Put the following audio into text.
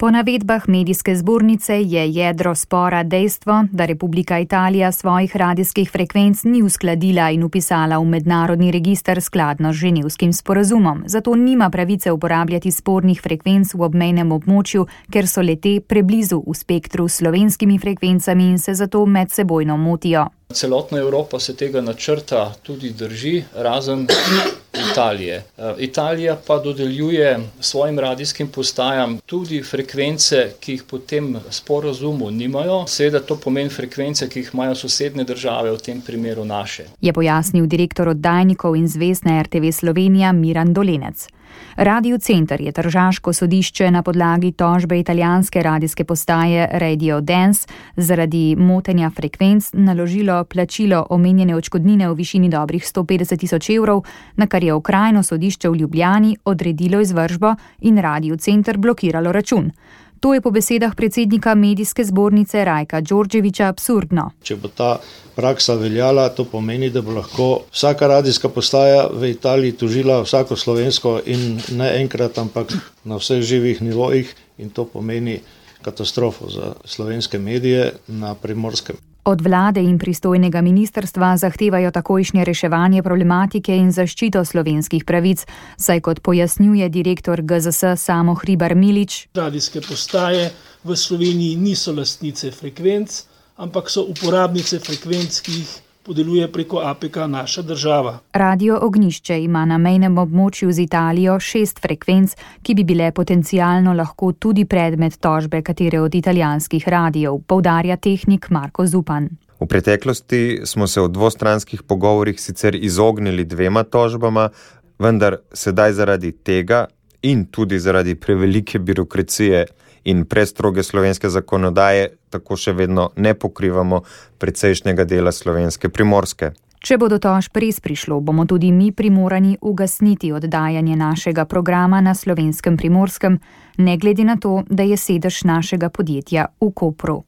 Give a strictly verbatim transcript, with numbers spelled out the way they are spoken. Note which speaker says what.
Speaker 1: Po navedbah medijske zbornice je jedro spora dejstvo, da Republika Italija svojih radijskih frekvenc ni uskladila in upisala v mednarodni register skladno z ženevskim sporazumom, zato nima pravice uporabljati spornih frekvenc v obmejnem območju, ker so le-te preblizu v spektru s slovenskimi frekvencami in se zato medsebojno motijo.
Speaker 2: Celotna Evropa se tega načrta tudi drži, razen Italije. Italija pa dodeljuje svojim radijskim postajam tudi frekvence, ki jih po tem sporazumu nimajo. Seveda to pomeni frekvence, ki jih imajo sosednje države, v tem primeru naše.
Speaker 1: Je pojasnil direktor oddajnikov in zvezne R T V Slovenija Miran Dolenec. Radio Center je tržaško sodišče na podlagi tožbe italijanske radijske postaje Radio Dance zaradi motenja frekvenc naložilo plačilo omenjene odškodnine v višini dobrih sto petdeset tisoč evrov, na kar je okrajno sodišče v Ljubljani odredilo izvršbo in Radio Center blokiralo račun. To je po besedah predsednika medijske zbornice Rajka Đorđevića absurdno.
Speaker 3: Če bo ta praksa veljala, to pomeni, da bo lahko vsaka radijska postaja v Italiji tožila vsako slovensko in ne enkrat, ampak na vseh živih nivojih, in to pomeni katastrofo za slovenske medije na Primorskem.
Speaker 1: Od vlade in pristojnega ministrstva zahtevajo takojšnje reševanje problematike in zaščito slovenskih pravic, saj kot pojasnjuje direktor G Z S Samo Hribar Milič.
Speaker 4: Radijske postaje v Sloveniji niso lastnice frekvenc, ampak so uporabnice frekvenc, ki jih podeljuje preko A P K naša država.
Speaker 1: Radio Ognjišče ima na mejnem območju z Italijo šest frekvenc, ki bi bile potencialno lahko tudi predmet tožbe katere od italijanskih radijev, poudarja tehnik Marko Zupan.
Speaker 5: V preteklosti smo se v dvostranskih pogovorih sicer izognili dvema tožbama, vendar sedaj zaradi tega in tudi zaradi prevelike birokracije in prestroge slovenske zakonodaje tako še vedno ne pokrivamo precejšnjega dela slovenske Primorske.
Speaker 1: Če bo do tožb res prišlo, bomo tudi mi primorani ugasniti oddajanje našega programa na slovenskem Primorskem, ne glede na to, da je sedež našega podjetja v Kopru.